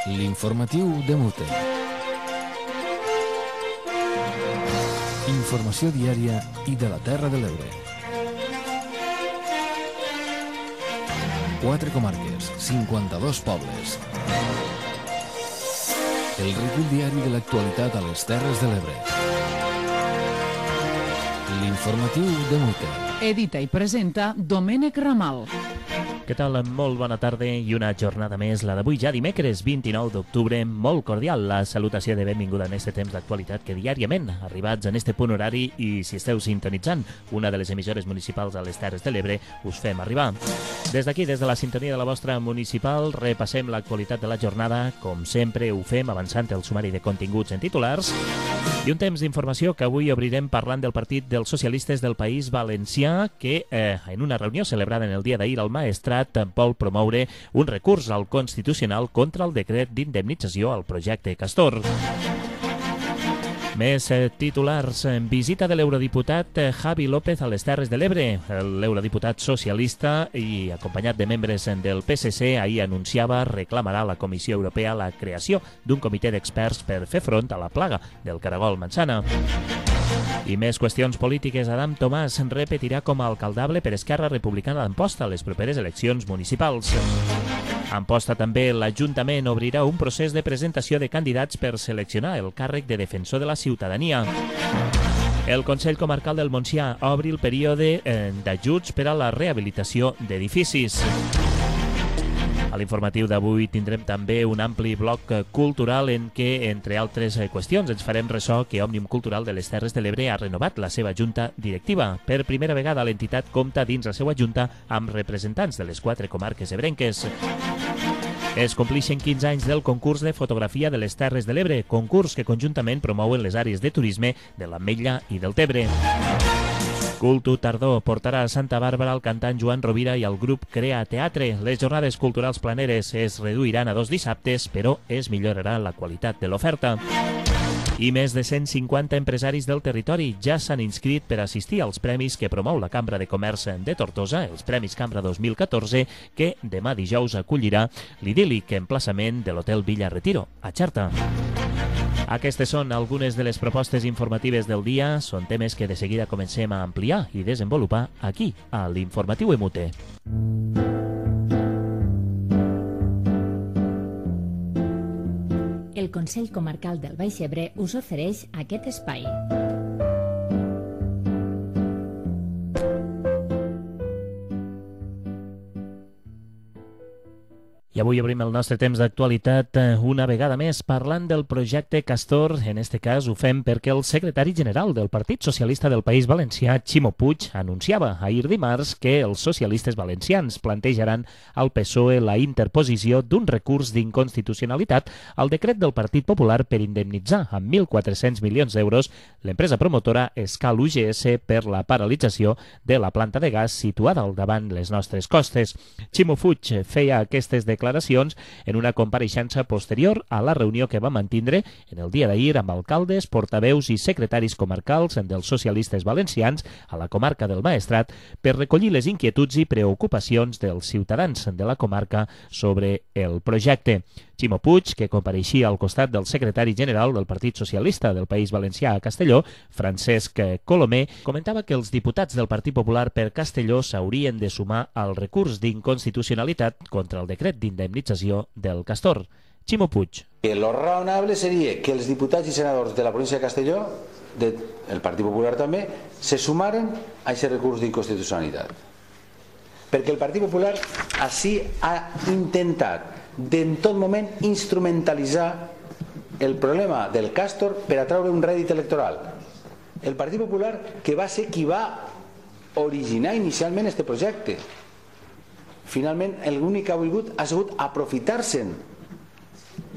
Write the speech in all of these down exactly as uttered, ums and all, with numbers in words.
L'informatiu de Mute. Informació diària i de la Terra de l'Ebre. Quatre comarques, cinquanta-dos pobles. El recull diari de l'actualitat a les Terres de l'Ebre. L'informatiu de Mute. Edita i presenta Domènec Ramal. Què tal? Molt bona tarda i una jornada més, la d'avui ja dimecres vint-i-nou d'octubre. Molt cordial la salutació de benvinguda en este temps d'actualitat que diàriament, arribats en este punt horari i si esteu sintonitzant una de les emissores municipals a les Terres de l'Ebre, us fem arribar. Des d'aquí, des de la sintonia de la vostra municipal, repassem l'actualitat de la jornada. Com sempre ho fem avançant el sumari de continguts en titulars i un temps d'informació que avui obrirem parlant del Partit dels Socialistes del País Valencià que eh, en una reunió celebrada en el dia d'ahir al Maestrat vol promoure un recurs al Constitucional contra el decret d'indemnització al projecte Castor. Més eh, titulars. Visita de l'eurodiputat eh, Javi López a les Terres de l'Ebre. L'eurodiputat socialista i acompanyat de membres del P S C ahir anunciava reclamarà a la Comissió Europea la creació d'un comitè d'experts per fer front a la plaga del caragol manzana. I més qüestions polítiques. Adam Tomàs repetirà com a alcaldable per Esquerra Republicana d'Amposta a les properes eleccions municipals. A Amposta també l'Ajuntament obrirà un procés de presentació de candidats per seleccionar el càrrec de defensor de la ciutadania. El Consell Comarcal del Montsià obri el període eh, d'ajuts per a la rehabilitació d'edificis. A l'informatiu d'avui tindrem també un ampli bloc cultural en què, entre altres qüestions, ens farem ressò que Òmnium Cultural de les Terres de l'Ebre ha renovat la seva junta directiva. Per primera vegada l'entitat compta dins la seva junta amb representants de les quatre comarques ebrenques. Es complixen quinze anys del concurs de fotografia de les Terres de l'Ebre, concurs que conjuntament promouen les àrees de turisme de l'Ametlla i del Tebre. Cultu Tardor portarà a Santa Bàrbara el cantant Joan Rovira i el grup Crea Teatre. Les jornades culturals planeres es reduiran a dos dissabtes, però es millorarà la qualitat de l'oferta. I més de cent cinquanta empresaris del territori ja s'han inscrit per assistir als premis que promou la Cambra de Comerç de Tortosa, els Premis Cambra dos mil catorze, que demà dijous acollirà l'idíl·lic emplaçament de l'Hotel Villa Retiro, a Xerta. Aquestes són algunes de les propostes informatives del dia. Són temes que de seguida comencem a ampliar i desenvolupar aquí, a l'Informatiu Emute. El Consell Comarcal del Baix Ebre us ofereix aquest espai. I avui obrim el nostre temps d'actualitat una vegada més parlant del projecte Castor. En este cas ho fem perquè el secretari general del Partit Socialista del País Valencià, Ximo Puig, anunciava ahir dimarts que els socialistes valencians plantejaran al P S O E la interposició d'un recurs d'inconstitucionalitat al decret del Partit Popular per indemnitzar amb mil quatre-cents milions d'euros l'empresa promotora Escal U G S per la paralització de la planta de gas situada al davant les nostres costes. Ximo Puig feia aquestes declaracions declaracions en una compareixença posterior a la reunió que va mantindre en el dia d'ahir amb alcaldes, portaveus i secretaris comarcals dels socialistes valencians a la comarca del Maestrat per recollir les inquietuds i preocupacions dels ciutadans de la comarca sobre el projecte. Ximo Puig, que compareixia al costat del secretari general del Partit Socialista del País Valencià a Castelló, Francesc Colomer, comentava que els diputats del Partit Popular per Castelló s'haurien de sumar al recurs d'inconstitucionalitat contra el decret d'indemnització del Castor. Ximo Puig. Lo raonable seria que els diputats i senadors de la província de Castelló, del Partit Popular també, se sumaren a aquest recurs d'inconstitucionalitat. Perquè el Partit Popular així ha intentat d'en tot moment instrumentalitzar el problema del Castor per atraure un rèdit electoral. El Partit Popular, que va ser qui va originar inicialment aquest projecte, finalment l'únic que ha volgut ha sigut aprofitar-se'n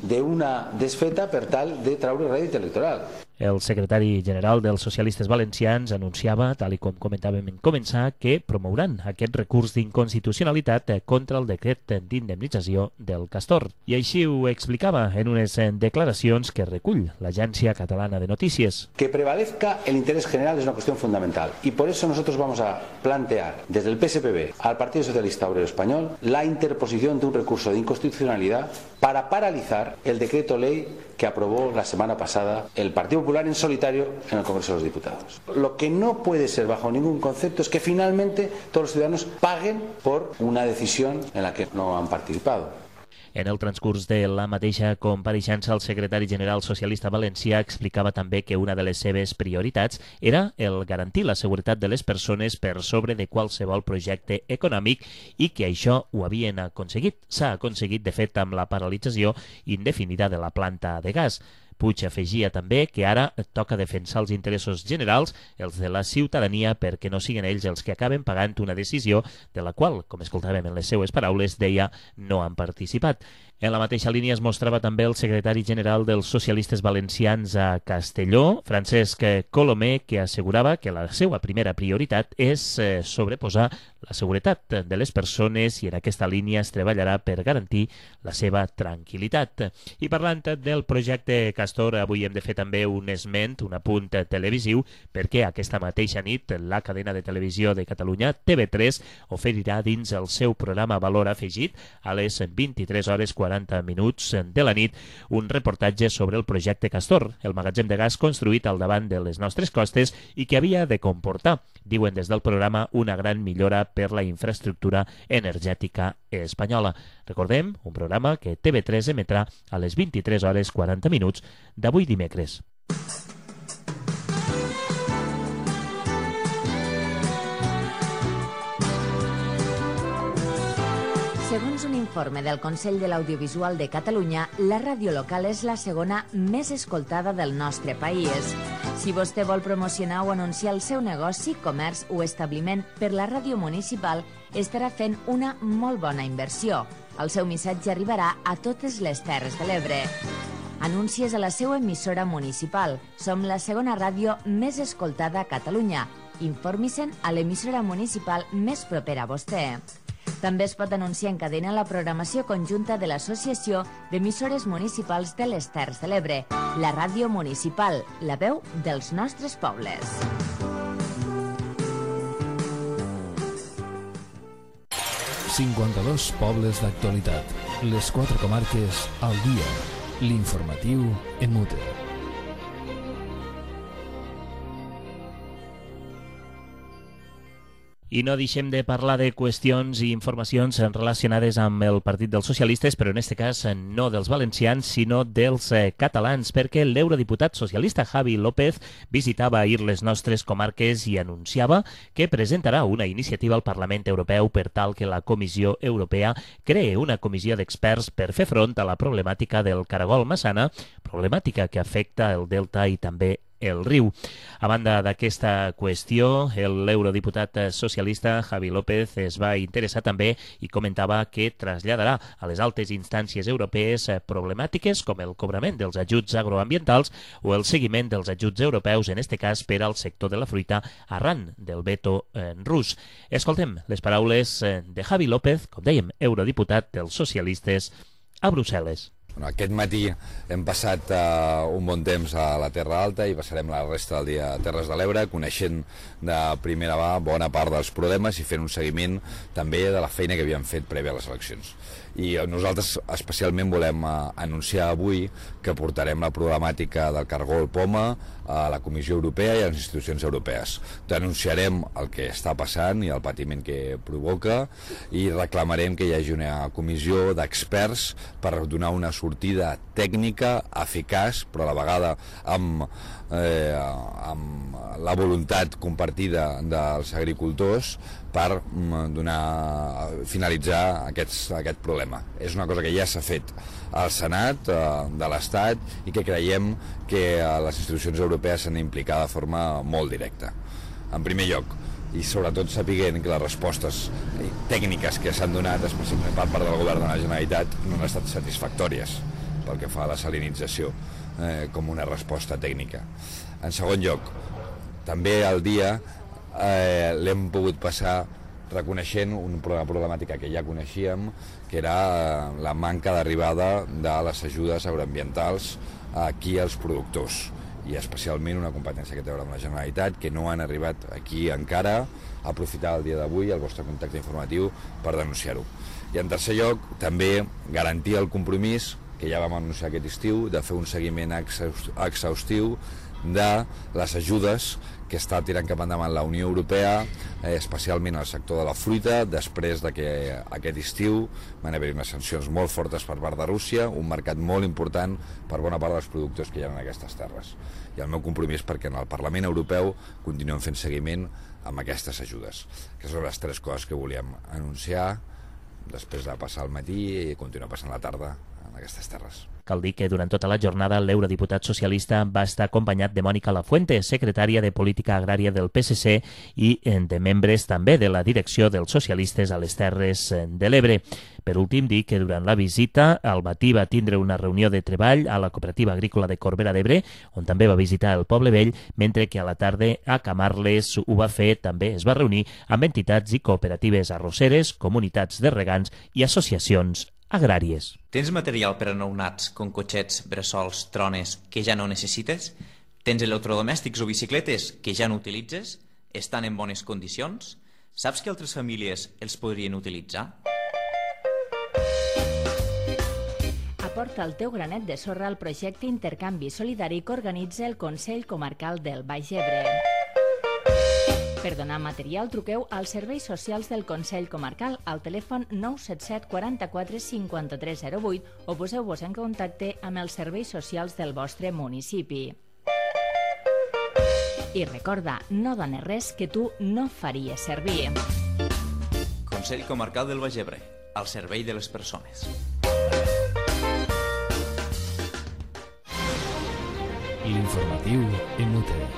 d'una desfeta per tal de traure rèdit electoral. El secretari general dels socialistes valencians anunciava, tal i com comentàvem en començar, que promouran aquest recurs d'inconstitucionalitat contra el decret d'indemnització del Castor. I així ho explicava en unes declaracions que recull l'Agència Catalana de Notícies. Que prevalezca el interés general es una cuestión fundamental y por eso nosotros vamos a plantear desde el P S P B al Partido Socialista Obrero Español la interposición de un recurso de inconstitucionalidad para paralizar el decreto ley que aprobó la semana pasada el Partido Popular en solitario en el Congreso de los Diputados. Lo que no puede ser bajo ningún concepto es que finalmente todos los ciudadanos paguen por una decisión en la que no han participado. En el transcurs de la mateixa compareixença, el secretari general socialista valencià explicava també que una de les seves prioritats era el garantir la seguretat de les persones per sobre de qualsevol projecte econòmic i que això ho havien aconseguit. S'ha aconseguit, de fet, amb la paralització indefinida de la planta de gas. Puig afegia també que ara toca defensar els interessos generals, els de la ciutadania, perquè no siguin ells els que acaben pagant una decisió de la qual, com escoltàvem en les seues paraules, deia no han participat. En la mateixa línia es mostrava també el secretari general dels socialistes valencians a Castelló, Francesc Colomé, que assegurava que la seva primera prioritat és eh, sobreposar la seguretat de les persones i en aquesta línia es treballarà per garantir la seva tranquil·litat. I parlant del projecte Castor, avui hem de fer també un esment, un apunt televisiu, perquè aquesta mateixa nit la cadena de televisió de Catalunya, T V tres, oferirà dins el seu programa Valor Afegit a les vint-i-tres hores quaranta minuts de la nit un reportatge sobre el projecte Castor, el magatzem de gas construït al davant de les nostres costes i que havia de comportar, diuen des del programa, una gran millora per la infraestructura energètica espanyola. Recordem, un programa que T V tres emetrà a les vint-i-tres hores quaranta minuts d'avui dimecres. Segons un informe del Consell de l'Audiovisual de Catalunya, la ràdio local és la segona més escoltada del nostre país. Si vostè vol promocionar o anunciar el seu negoci, comerç o establiment per la ràdio municipal, estarà fent una molt bona inversió. El seu missatge arribarà a totes les Terres de l'Ebre. Anuncies a la seva emissora municipal. Som la segona ràdio més escoltada a Catalunya. Informi-se'n a l'emissora municipal més propera a vostè. També es pot anunciar en cadena la programació conjunta de l'Associació d'Emissores Municipals de les Terres de l'Ebre, la ràdio municipal, la veu dels nostres pobles. cinquanta-dos pobles d'actualitat. Les quatre comarques al dia. L'informatiu en mute. I no deixem de parlar de qüestions i informacions relacionades amb el Partit dels Socialistes, però en aquest cas no dels valencians, sinó dels eh, catalans, perquè l'eurodiputat socialista Javi López visitava ahir les nostres comarques i anunciava que presentarà una iniciativa al Parlament Europeu per tal que la Comissió Europea cree una comissió d'experts per fer front a la problemàtica del caragol massana, problemàtica que afecta el delta i també el riu. A banda d'aquesta qüestió, l'eurodiputat socialista Javi López es va interessar també i comentava que traslladarà a les altes instàncies europees problemàtiques com el cobrament dels ajuts agroambientals o el seguiment dels ajuts europeus, en este cas per al sector de la fruita, arran del veto eh, rus. Escoltem les paraules de Javi López, com dèiem, eurodiputat dels socialistes a Brussel·les. Bueno, aquest matí hem passat uh, un bon temps a la Terra Alta i passarem la resta del dia a Terres de l'Ebre, coneixent de primera mà bona part dels problemes i fent un seguiment també de la feina que havíem fet prèvia a les eleccions. I nosaltres especialment volem uh, anunciar avui que portarem la problemàtica del cargol poma a la Comissió Europea i a les institucions europees. Denunciarem el que està passant i el patiment que provoca i reclamarem que hi hagi una comissió d'experts per donar una sortida tècnica, eficaç, però a la vegada amb, eh, amb la voluntat compartida dels agricultors per donar, finalitzar aquests, aquest problema. És una cosa que ja s'ha fet al Senat eh, de l'Estat i que creiem que eh, les institucions europees s'han d'implicar de forma molt directa. En primer lloc, i sobretot sapiguent que les respostes tècniques que s'han donat, especialment per part del govern de la Generalitat, no han estat satisfactòries pel que fa a la salinització. eh, com una resposta tècnica. En segon lloc, també al dia eh, l'hem pogut passar reconeixent una problemàtica que ja coneixíem, que era la manca d'arribada de les ajudes agroambientals aquí als productors, i especialment una competència que té a veure amb la Generalitat, que no han arribat aquí encara. Aprofitar el dia d'avui, el vostre contacte informatiu, per denunciar-ho. I en tercer lloc, també garantir el compromís, que ja vam anunciar aquest estiu, de fer un seguiment exhaustiu de les ajudes que està tirant cap endavant la Unió Europea, eh, especialment al sector de la fruita, després de que aquest estiu van haver-hi unes sancions molt fortes per part de Rússia, un mercat molt important per bona part dels productors que hi ha en aquestes terres. I el meu compromís perquè en el Parlament Europeu continuem fent seguiment amb aquestes ajudes. Aquestes són les tres coses que volíem anunciar després de passar el matí i continuar passant la tarda en aquestes terres. Cal dir que durant tota la jornada l'eurodiputat socialista va estar acompanyat de Mònica Lafuente, secretària de Política Agrària del P S C, i de membres també de la direcció dels socialistes a les Terres de l'Ebre. Per últim, dir que durant la visita al matí va tindre una reunió de treball a la Cooperativa Agrícola de Corbera d'Ebre, on també va visitar el Poble Vell, mentre que a la tarda a Camarles ho va fer, també es va reunir amb entitats i cooperatives arrosseres, comunitats de regants i associacions agràries. Tens material per a nounats com cotxets, bressols, trones que ja no necessites? Tens electrodomèstics o bicicletes que ja no utilitzes? Estan en bones condicions? Saps que altres famílies els podrien utilitzar? Aporta el teu granet de sorra al projecte Intercanvi Solidari que organitza el Consell Comarcal del Baix Ebre. Per donar material, truqueu als serveis socials del Consell Comarcal al telèfon nou set set quaranta-quatre cinquanta-tres zero vuit o poseu-vos en contacte amb els serveis socials del vostre municipi. I recorda, no dones res que tu no faries servir. Consell Comarcal del Baix Ebre, al servei de les persones. L'informatiu Inútil.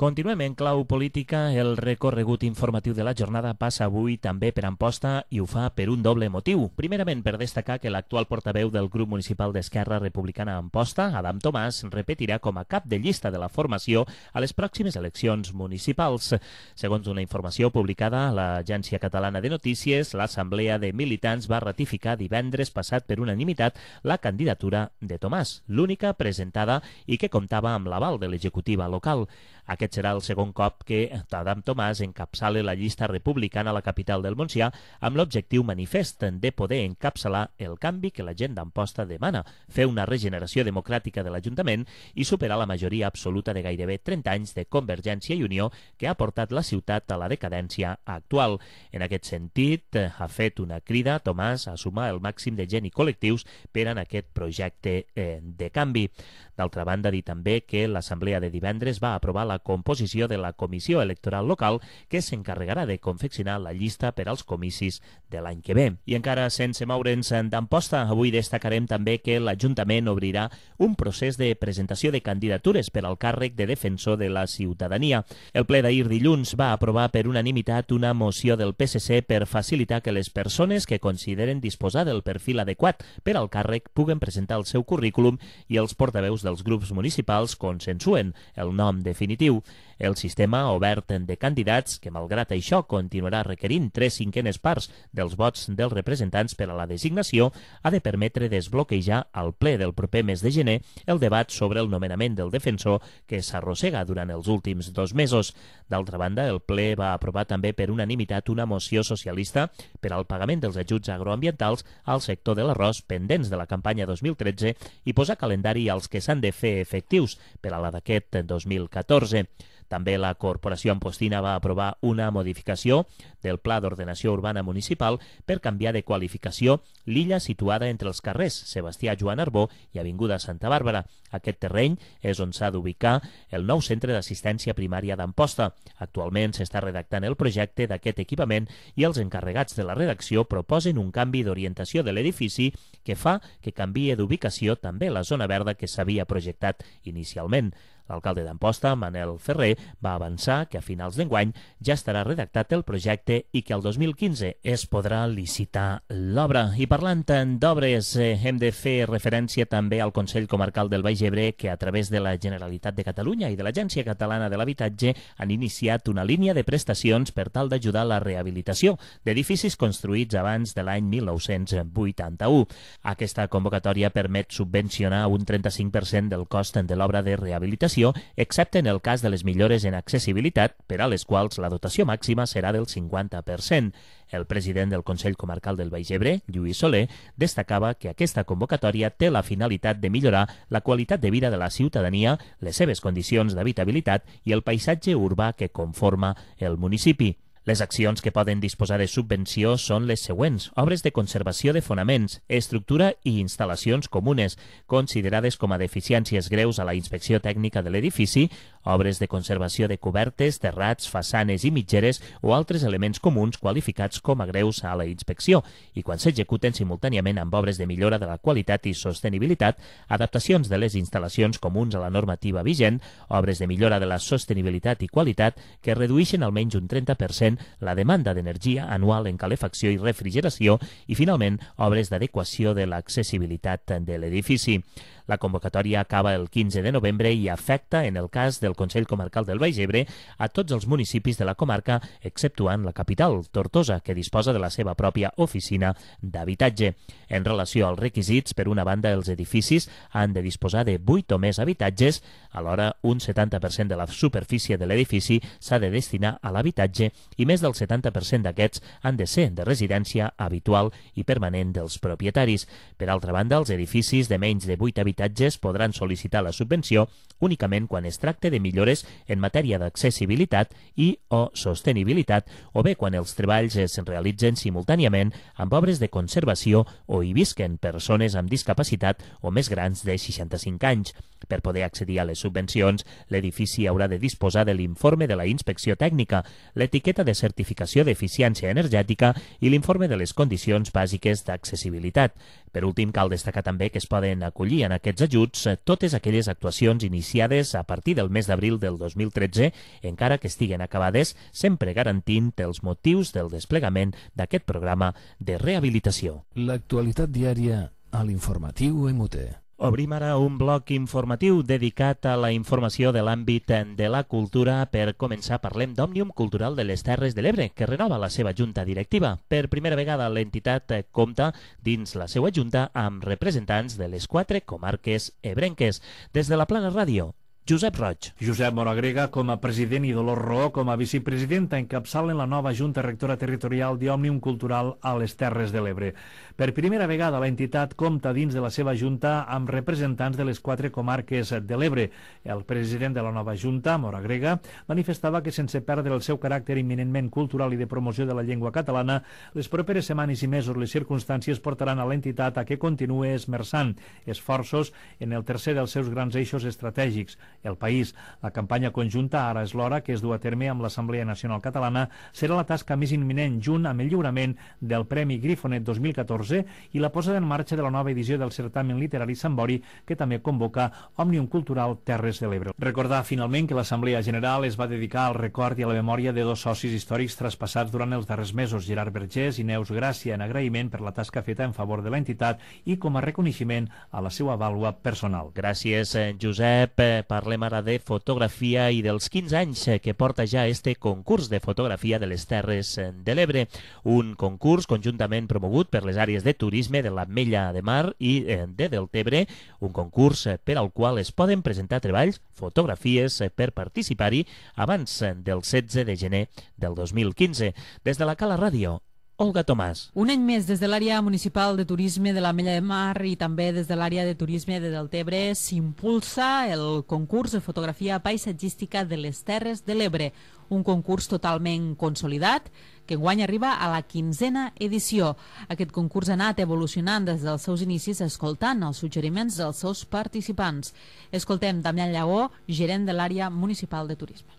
Continuem en clau política. El recorregut informatiu de la jornada passa avui també per Amposta i ho fa per un doble motiu. Primerament, per destacar que l'actual portaveu del grup municipal d'Esquerra Republicana a Amposta, Adam Tomàs, repetirà com a cap de llista de la formació a les pròximes eleccions municipals. Segons una informació publicada a l'Agència Catalana de Notícies, l'Assemblea de Militants va ratificar divendres passat per unanimitat la candidatura de Tomàs, l'única presentada i que comptava amb l'aval de l'executiva local. Aquest serà el segon cop que Adam Tomàs encapçala la llista republicana a la capital del Montsià amb l'objectiu manifest de poder encapçalar el canvi que la gent d'Amposta demana, fer una regeneració democràtica de l'Ajuntament i superar la majoria absoluta de gairebé trenta anys de Convergència i Unió que ha portat la ciutat a la decadència actual. En aquest sentit, ha fet una crida a Tomàs a sumar el màxim de gent i col·lectius per en aquest projecte eh, de canvi. D'altra banda, dir també que l'Assemblea de divendres va aprovar la composició de la Comissió Electoral Local que s'encarregarà de confeccionar la llista per als comicis de l'any que ve. I encara sense moure'ns d'Amposta, avui destacarem també que l'Ajuntament obrirà un procés de presentació de candidatures per al càrrec de defensor de la ciutadania. El ple d'ahir dilluns va aprovar per unanimitat una moció del P S C per facilitar que les persones que consideren disposar del perfil adequat per al càrrec puguen presentar el seu currículum i els portaveus dels grups municipals consensuen el nom definitiu. El sistema obert de candidats, que malgrat això continuarà requerint tres cinquenes parts dels vots dels representants per a la designació, ha de permetre desbloquejar al ple del proper mes de gener el debat sobre el nomenament del defensor que s'arrossega durant els últims dos mesos. D'altra banda, el ple va aprovar també per unanimitat una moció socialista per al pagament dels ajuts agroambientals al sector de l'arròs pendents de la campanya dos mil tretze i posar calendari als que s'han de fer efectius per a la d'aquest dos mil catorze. També la Corporació Ampostina va aprovar una modificació del Pla d'Ordenació Urbana Municipal per canviar de qualificació l'illa situada entre els carrers Sebastià Joan Arbó i Avinguda Santa Bàrbara. Aquest terreny és on s'ha d'ubicar el nou centre d'assistència primària d'Amposta. Actualment s'està redactant el projecte d'aquest equipament i els encarregats de la redacció proposen un canvi d'orientació de l'edifici que fa que canvie d'ubicació també la zona verda que s'havia projectat inicialment. L'alcalde d'Amposta, Manel Ferrer, va avançar que a finals d'enguany ja estarà redactat el projecte i que el dos mil quinze es podrà licitar l'obra. I parlant d'obres, eh, hem de fer referència també al Consell Comarcal del Baix Ebre, que a través de la Generalitat de Catalunya i de l'Agència Catalana de l'Habitatge han iniciat una línia de prestacions per tal d'ajudar a la rehabilitació d'edificis construïts abans de l'any mil nou-cents vuitanta-u. Aquesta convocatòria permet subvencionar un trenta-cinc per cent del cost de l'obra de rehabilitació, excepte en el cas de les millores en accessibilitat, per a les quals la dotació màxima serà del cinquanta per cent. El president del Consell Comarcal del Baix Ebre, Lluís Soler, destacava que aquesta convocatòria té la finalitat de millorar la qualitat de vida de la ciutadania, les seves condicions d'habitabilitat i el paisatge urbà que conforma el municipi. Les accions que poden disposar de subvenció són les següents: obres de conservació de fonaments, estructura i instal·lacions comunes, considerades com a deficiències greus a la inspecció tècnica de l'edifici, obres de conservació de cobertes, terrats, façanes i mitgeres o altres elements comuns qualificats com a greus a la inspecció, i quan s'executen simultàniament amb obres de millora de la qualitat i sostenibilitat, adaptacions de les instal·lacions comuns a la normativa vigent, obres de millora de la sostenibilitat i qualitat que redueixen almenys un trenta per cent la demanda d'energia anual en calefacció i refrigeració i, finalment, obres d'adequació de l'accessibilitat de l'edifici. La convocatòria acaba el quinze de novembre i afecta, en el cas del Consell Comarcal del Baix Ebre, a tots els municipis de la comarca, exceptuant la capital, Tortosa, que disposa de la seva pròpia oficina d'habitatge. En relació als requisits, per una banda, els edificis han de disposar de vuit o més habitatges, alhora un setanta per cent de la superfície de l'edifici s'ha de destinar a l'habitatge i més del setanta per cent d'aquests han de ser de residència habitual i permanent dels propietaris. Per altra banda, els edificis de menys de vuit habitatges podran sol·licitar la subvenció únicament quan es tracte de millores en matèria d'accessibilitat i o sostenibilitat, o bé quan els treballs es realitzen simultàniament amb obres de conservació o hi visquen persones amb discapacitat o més grans de seixanta-cinc anys. Per poder accedir a les subvencions, l'edifici haurà de disposar de l'informe de la inspecció tècnica, l'etiqueta de certificació d'eficiència energètica i l'informe de les condicions bàsiques d'accessibilitat. Per últim, cal destacar també que es poden acollir en aquests ajuts totes aquelles actuacions iniciades a partir del mes d'abril del dos mil tretze, encara que estiguen acabades, sempre garantint els motius del desplegament d'aquest programa de rehabilitació. L'actualitat diària a l'informatiu M U T. Obrim ara un bloc informatiu dedicat a la informació de l'àmbit de la cultura. Per començar, parlem d'Òmnium Cultural de les Terres de l'Ebre, que renova la seva junta directiva. Per primera vegada, l'entitat compta dins la seva junta amb representants de les quatre comarques ebrenques. Des de la Plana Ràdio, Josep Roig. Josep Moragrega com a president i Dolors Roó com a vicepresidenta encapçalen la nova Junta Rectora Territorial d'Òmnium Cultural a les Terres de l'Ebre. Per primera vegada l'entitat compta dins de la seva junta amb representants de les quatre comarques de l'Ebre. El president de la nova junta, Moragrega, manifestava que sense perdre el seu caràcter imminentment cultural i de promoció de la llengua catalana, les properes setmanes i mesos les circumstàncies portaran a l'entitat a que continuï esmerçant esforços en el tercer dels seus grans eixos estratègics, el país. La campanya conjunta Ara és l'hora, que es du a terme amb l'Assemblea Nacional Catalana, serà la tasca més imminent, junt amb el lliurament del Premi Grifonet dos mil catorze i la posada en marxa de la nova edició del certamen literari Sambori, que també convoca Òmnium Cultural Terres de l'Ebre. Recordar finalment que l'Assemblea General es va dedicar al record i a la memòria de dos socis històrics traspassats durant els darrers mesos, Gerard Vergés i Neus Gràcia, en agraïment per la tasca feta en favor de l'entitat i com a reconeixement a la seva vàlua personal. Gràcies, Josep. Parlem ara de fotografia i dels quinze anys que porta ja este concurs de fotografia de les Terres de l'Ebre. Un concurs conjuntament promogut per les àrees de turisme de l'Ametlla de Mar i de Deltebre, un concurs per al qual es poden presentar treballs, fotografies per participar-hi abans del setze de gener del dos mil quinze. Des de la Cala Ràdio, Olga Tomàs. Un any més des de l'àrea municipal de turisme de l'Ametlla de Mar i també des de l'àrea de turisme de Deltebre s'impulsa el concurs de fotografia paisatgística de les Terres de l'Ebre, un concurs totalment consolidat que enguany arriba a la quinzena edició. Aquest concurs ha anat evolucionant des dels seus inicis escoltant els suggeriments dels seus participants. Escoltem Damián Llagó, gerent de l'àrea municipal de turisme.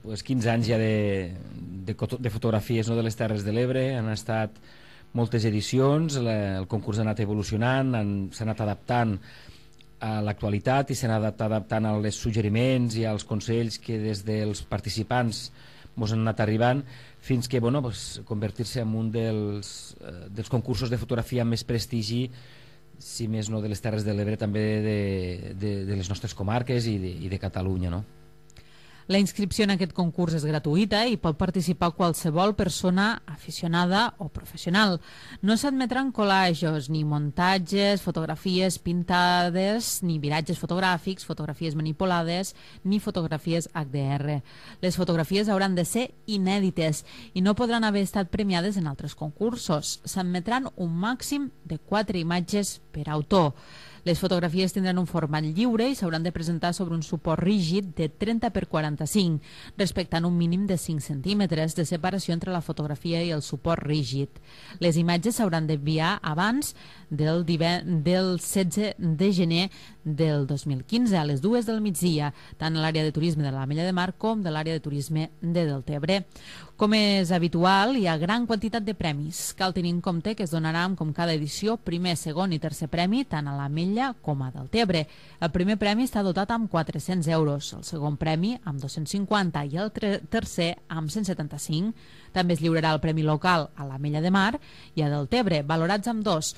Pues quinze anys ja de, de, de fotografies, no, de les Terres de l'Ebre. Han estat moltes edicions, la, el concurs ha anat evolucionant, s'ha anat adaptant a l'actualitat i s'han anat adaptant als suggeriments i als consells que des dels participants ens han anat arribant, fins que bueno, pues, convertir-se en un dels, eh, dels concursos de fotografia amb més prestigi, si més no de les Terres de l'Ebre, també de, de, de les nostres comarques i de, i de Catalunya, no? La inscripció en aquest concurs és gratuïta i pot participar qualsevol persona aficionada o professional. No s'admetran collages, ni muntatges, fotografies pintades, ni viratges fotogràfics, fotografies manipulades, ni fotografies H D R. Les fotografies hauran de ser inèdites i no podran haver estat premiades en altres concursos. S'admetran un màxim de quatre imatges per autor. Les fotografies tindran un format lliure i s'hauran de presentar sobre un suport rígid de trenta per quaranta-cinc, respectant un mínim de cinc centímetres de separació entre la fotografia i el suport rígid. Les imatges s'hauran d'enviar abans del, del setze de gener del dos mil quinze a les dues del migdia, tant a l'àrea de turisme de l'Ametlla de Mar com de l'àrea de turisme de Deltebre. Com és habitual, hi ha gran quantitat de premis. Cal tenir en compte que es donaran, com cada edició, primer, segon i tercer premi, tant a l'Ametlla com a Deltebre. El primer premi està dotat amb quatre-cents euros, el segon premi amb dos-cents cinquanta i el tercer amb cent setanta-cinc. També es lliurarà el premi local a l'Ametlla de Mar i a Deltebre, valorats amb dos,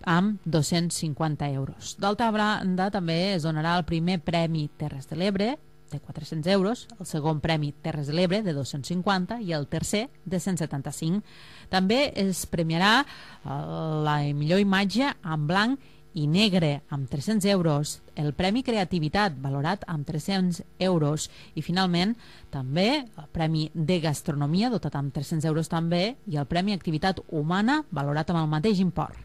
amb dos-cents cinquanta euros. D'altra banda, també es donarà el primer premi Terres de l'Ebre, de quatre-cents euros, el segon premi Terres de l'Ebre de dos-cents cinquanta i el tercer de cent setanta-cinc. També es premiarà la millor imatge en blanc i negre amb tres-cents euros, el Premi Creativitat valorat amb tres-cents euros i finalment també el Premi de Gastronomia dotat amb tres-cents euros també i el Premi Activitat Humana valorat amb el mateix import.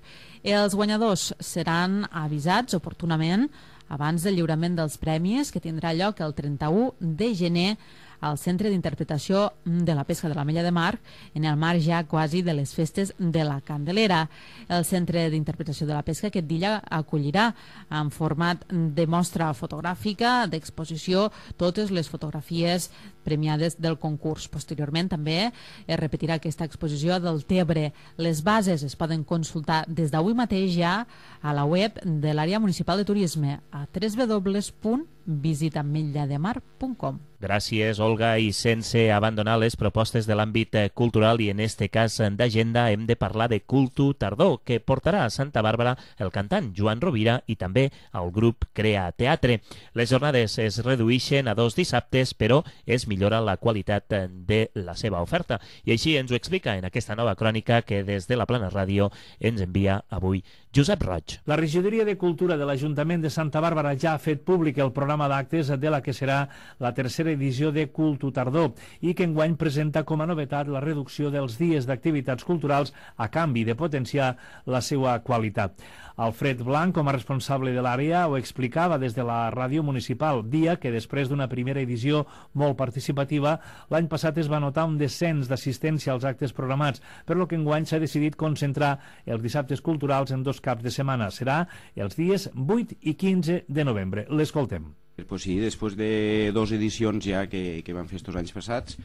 Els guanyadors seran avisats oportunament abans del lliurament dels premis, que tindrà lloc el trenta-u de gener al Centre d'Interpretació de la Pesca de l'Ametlla de Mar, en el marc ja quasi de les festes de la Candelera. El Centre d'Interpretació de la Pesca aquest dia acollirà en format de mostra fotogràfica, d'exposició, totes les fotografies premiades del concurs. Posteriorment també es repetirà aquesta exposició del Tebre. Les bases es poden consultar des d'avui mateix ja a la web de l'àrea municipal de turisme a w w w punt visita ametlla de mar punt com. Gràcies, Olga. I sense abandonar les propostes de l'àmbit cultural i en este cas d'agenda hem de parlar de Cultu Tardor, que portarà a Santa Bàrbara el cantant Joan Rovira i també el grup Crea Teatre. Les jornades es redueixen a dos dissabtes, però es millora la qualitat de la seva oferta. I així ens ho explica en aquesta nova crònica que des de la Plana Ràdio ens envia avui Josep Roig. La regidoria de Cultura de l'Ajuntament de Santa Bàrbara ja ha fet públic el programa d'actes de la que serà la tercera edició de Cultu Tardor i que enguany presenta com a novetat la reducció dels dies d'activitats culturals a canvi de potenciar la seva qualitat. Alfred Blanc, com a responsable de l'àrea, ho explicava des de la ràdio municipal, dia que després d'una primera edició molt participativa, l'any passat es va notar un descens d'assistència als actes programats, per lo que enguany s'ha decidit concentrar els dissabtes culturals en dos caps de setmana. Serà els dies vuit i quinze de novembre. L'escoltem. Pues sí, després de dues edicions ja que, que van fer estos anys passats,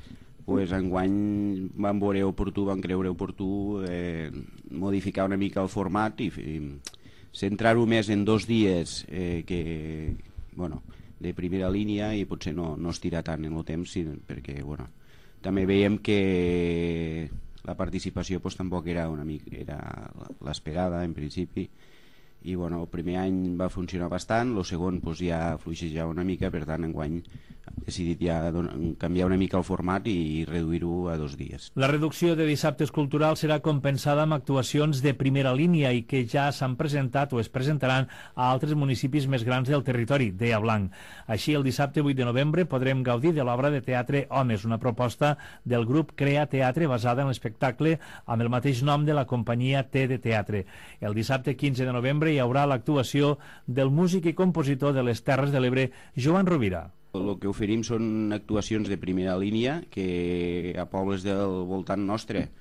pues enguany van veure oportú, van creure oportú eh, modificar una mica el format i, i centrar-ho més en dos dies eh, que, bueno, de primera línia i potser no, no estirar tant en el temps, sí, perquè bueno, també veiem que la participació pues, tampoc era una mica era l'esperada en principi i bueno, el primer any va funcionar bastant, el segon pues, ja fluixeja una mica, per tant enguany hem decidit ja canviar una mica el format i reduir-ho a dos dies. La reducció de dissabtes culturals serà compensada amb actuacions de primera línia i que ja s'han presentat o es presentaran a altres municipis més grans del territori, deia Blanc. Així, el dissabte vuit de novembre podrem gaudir de l'obra de teatre Homes, una proposta del grup Crea Teatre basada en l'espectacle amb el mateix nom de la companyia T de Teatre. El dissabte quinze de novembre hi haurà l'actuació del músic i compositor de les Terres de l'Ebre, Joan Rovira. El que oferim són actuacions de primera línia que a pobles del voltant nostre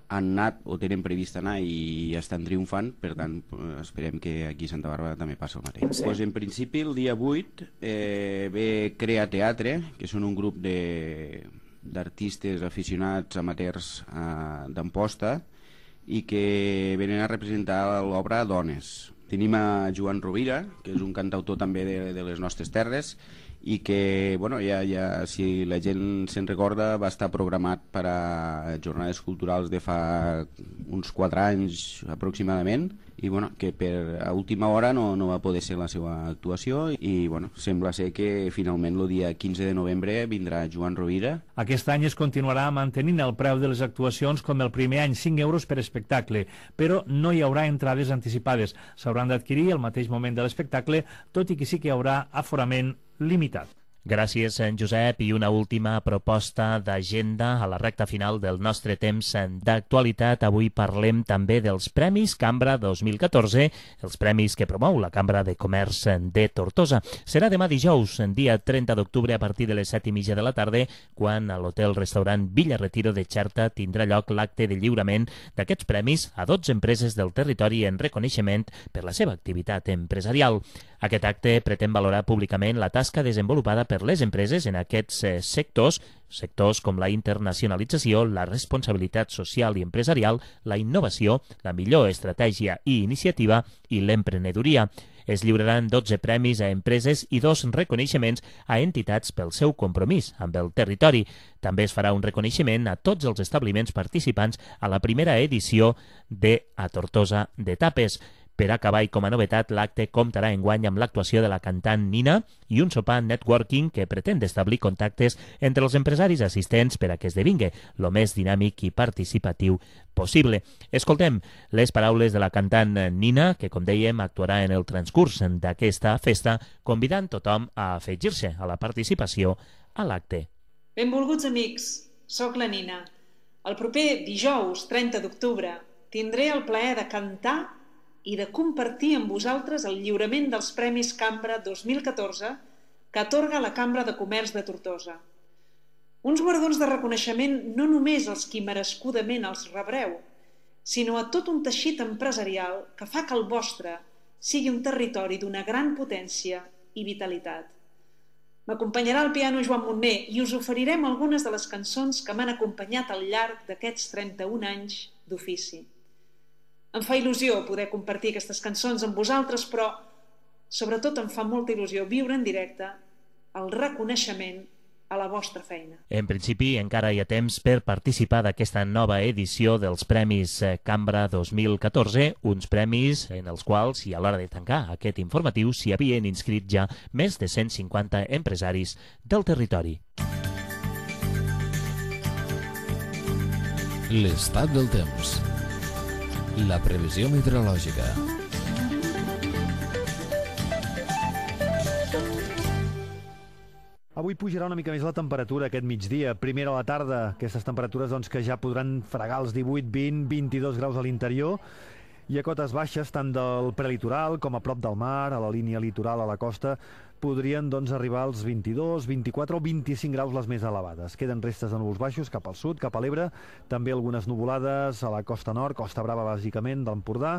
han anat o tenen previst anar i estan triomfant, per tant esperem que aquí a Santa Bàrbara també passi el mateix. Sí. Pues en principi el dia vuit eh, ve Crea Teatre, que són un grup d'artistes aficionats amateurs eh, d'Amposta i que venen a representar l'obra Dones. Tenim a Joan Rovira, que és un cantautor també de, de les nostres terres, i que, bueno, ja, ja, si la gent se'n recorda, va estar programat per a jornades culturals de fa uns quatre anys aproximadament, i bueno, que per a última hora no, no va poder ser la seva actuació, i bueno, sembla ser que finalment el dia quinze de novembre vindrà Joan Rovira. Aquest any es continuarà mantenint el preu de les actuacions com el primer any, cinc euros per espectacle, però no hi haurà entrades anticipades. S'hauran d'adquirir al mateix moment de l'espectacle, tot i que sí que hi haurà aforament limitat. Gràcies, en Josep. I una última proposta d'agenda a la recta final del nostre temps d'actualitat. Avui parlem també dels Premis Cambra dos mil catorze, els premis que promou la Cambra de Comerç de Tortosa. Serà demà dijous, dia trenta d'octubre, a partir de les set i mitja de la tarda, quan a l'hotel-restaurant Villa Retiro de Xerta tindrà lloc l'acte de lliurament d'aquests premis a dotze empreses del territori en reconeixement per la seva activitat empresarial. Aquest acte pretén valorar públicament la tasca desenvolupada per les empreses en aquests eh, sectors, sectors com la internacionalització, la responsabilitat social i empresarial, la innovació, la millor estratègia i iniciativa i l'emprenedoria. Es lliuraran dotze premis a empreses i dos reconeixements a entitats pel seu compromís amb el territori. També es farà un reconeixement a tots els establiments participants a la primera edició de A Tortosa de Tapes. Per acabar, i com a novetat, l'acte comptarà enguany amb l'actuació de la cantant Nina i un sopar networking que pretén establir contactes entre els empresaris assistents per a que esdevingui el més dinàmic i participatiu possible. Escoltem les paraules de la cantant Nina, que, com dèiem, actuarà en el transcurs d'aquesta festa, convidant tothom a afegir-se a la participació a l'acte. Benvolguts amics, soc la Nina. El proper dijous, trenta d'octubre, tindré el plaer de cantar i de compartir amb vosaltres el lliurament dels Premis Cambra dos mil catorze que atorga la Cambra de Comerç de Tortosa. Uns guardons de reconeixement no només als qui merescudament els rebreu, sinó a tot un teixit empresarial que fa que el vostre sigui un territori d'una gran potència i vitalitat. M'acompanyarà al piano Joan Montner i us oferirem algunes de les cançons que m'han acompanyat al llarg d'aquests trenta-un anys d'ofici. Em fa il·lusió poder compartir aquestes cançons amb vosaltres, però sobretot em fa molta il·lusió viure en directe el reconeixement a la vostra feina. En principi, encara hi ha temps per participar d'aquesta nova edició dels Premis Cambra dos mil catorze, uns premis en els quals, i a l'hora de tancar aquest informatiu, s'hi havien inscrit ja més de cent cinquanta empresaris del territori. L'estat del temps. La previsió meteorològica. Avui pujarà una mica més la temperatura aquest migdia. Primera a la tarda, aquestes temperatures doncs, que ja podran fregar els divuit, vint, vint-i-dos graus a l'interior, i a cotes baixes, tant del prelitoral com a prop del mar, a la línia litoral, a la costa, podrien doncs, arribar als vint-i-dos, vint-i-quatre o vint-i-cinc graus les més elevades. Queden restes de núvols baixos cap al sud, cap a l'Ebre, també algunes nuvolades a la costa nord, Costa Brava bàsicament, d'Empordà,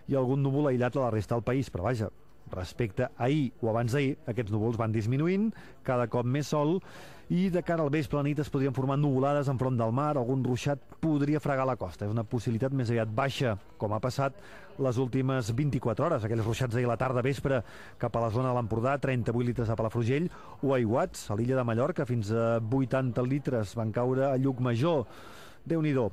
i algun núvol aïllat a la resta del país, però vaja, respecte a ahir o abans d'ahir, aquests núvols van disminuint, cada cop més sol, i de cara al vespre a la nit es podrien formar nuvolades enfront del mar, algun ruixat podria fregar la costa. És una possibilitat més aviat baixa, com ha passat les últimes vint-i-quatre hores. Aquells ruixats d'ahir a la tarda vespre cap a la zona de l'Empordà, trenta-vuit litres a Palafrugell, o aiguats a l'illa de Mallorca, fins a vuitanta litres van caure a Llucmajor. Déu-n'hi-do.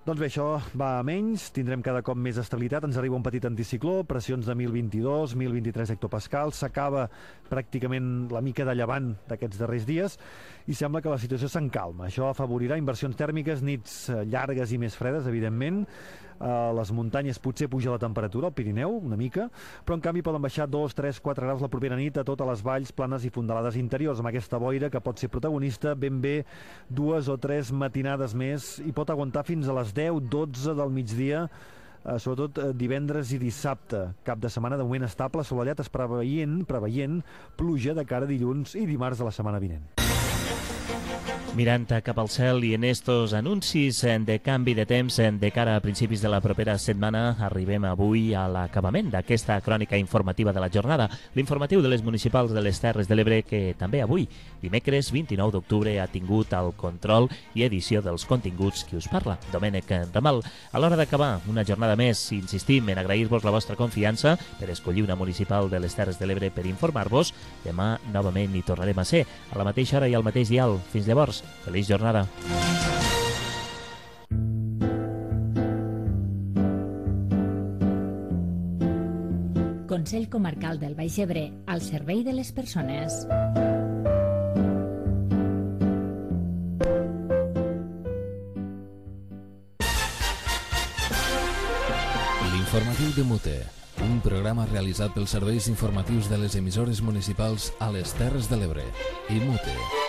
Doncs bé, això va a menys, tindrem cada cop més estabilitat, ens arriba un petit anticicló, pressions de mil vint-i-dos, mil vint-i-tres hectopascals, s'acaba pràcticament la mica de llevant d'aquests darrers dies i sembla que la situació s'encalma. Això afavorirà inversions tèrmiques, nits llargues i més fredes, evidentment. A les muntanyes potser puja la temperatura, al Pirineu, una mica, però en canvi poden baixar dos, tres, quatre graus la propera nit a totes les valls planes i fondalades interiors, amb aquesta boira que pot ser protagonista ben bé dues o tres matinades més i pot aguantar fins a les deu, dotze del migdia, eh, sobretot eh, divendres i dissabte. Cap de setmana de moment estable, assolellat, es preveient, preveient pluja de cara a dilluns i dimarts de la setmana vinent. Mirant cap al cel i en estos anuncis de canvi de temps de cara a principis de la propera setmana, arribem avui a l'acabament d'aquesta crònica informativa de la jornada, l'informatiu de les municipals de les Terres de l'Ebre, que també avui, dimecres vint-i-nou d'octubre, ha tingut el control i edició dels continguts qui us parla, Domènec Ramal. A l'hora d'acabar una jornada més, insistim en agrair-vos la vostra confiança per escollir una municipal de les Terres de l'Ebre per informar-vos. Demà novament hi tornarem a ser, a la mateixa hora i al mateix dial. Fins llavors, feliç jornada. Consell Comarcal del Baix Ebre, al servei de les persones. L'informatiu de Mute, un programa realitzat pels serveis informatius de les emissores municipals a les Terres de l'Ebre i Mute.